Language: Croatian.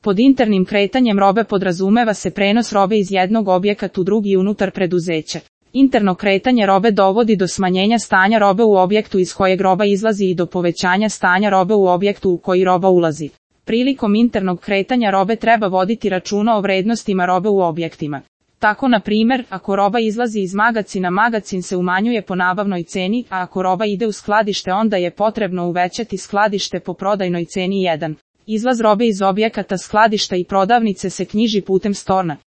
Pod internim kretanjem robe podrazumeva se prenos robe iz jednog objekata u drugi unutar preduzeća. Interno kretanje robe dovodi do smanjenja stanja robe u objektu iz kojeg roba izlazi i do povećanja stanja robe u objektu u koji roba ulazi. Prilikom internog kretanja robe treba voditi računa o vrednostima robe u objektima. Tako na primjer, ako roba izlazi iz magacina, magacin se umanjuje po nabavnoj ceni, a ako roba ide u skladište, onda je potrebno uvećati skladište po prodajnoj ceni 1. Izlaz robe iz objekata skladišta i prodavnice se knjiži putem storna.